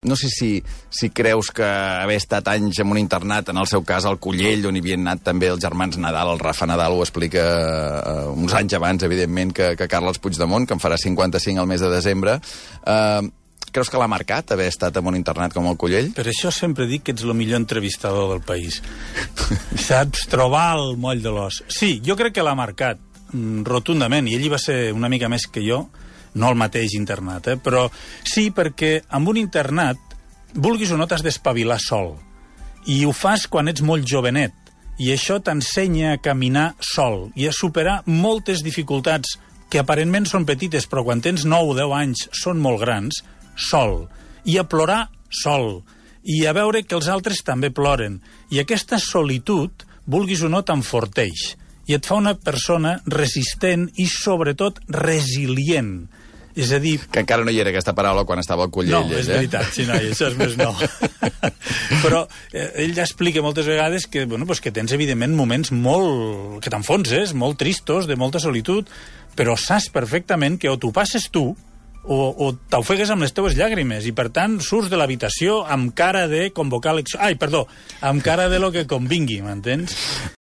no sé si creus que haver estat anys en un internat, en el seu cas al Collell, on hi havien anat també els germans Nadal, el Rafa Nadal ho explica uns anys abans, evidentment, que Carles Puigdemont, que en farà 55 al mes de desembre. Creus que l'ha marcat haver estat en un internat com el Collell? Per això sempre dic que ets el millor entrevistador del país. Saps trobar el moll de l'os. Sí, jo crec que l'ha marcat rotundament, i ell hi va ser una mica més que jo, no el mateix internat, però sí, perquè amb un internat, vulguis o no, t'has d'espavilar sol. I ho fas quan ets molt jovenet, i això t'ensenya a caminar sol i a superar moltes dificultats que aparentment són petites, però quan tens 9 o 10 anys són molt grans, sol, i a plorar sol, i a veure que els altres també ploren. I aquesta solitud, vulguis o no, t'enforteix, i et fa una persona resistent i, sobretot, resilient. És a dir... Que encara no hi era aquesta paraula quan estava al Collell. No, és veritat, sí, no, això és més nou. Però ell ja explica moltes vegades que, bueno, pues que tens, evidentment, moments molt... que t'enfonses, molt tristos, de molta solitud, però saps perfectament que o t'ho passes tu o t'ofegues amb les teues llàgrimes i, per tant, surts de l'habitació amb cara de convocar elecció... Ai, perdó, amb cara de lo que convingui, m'entens?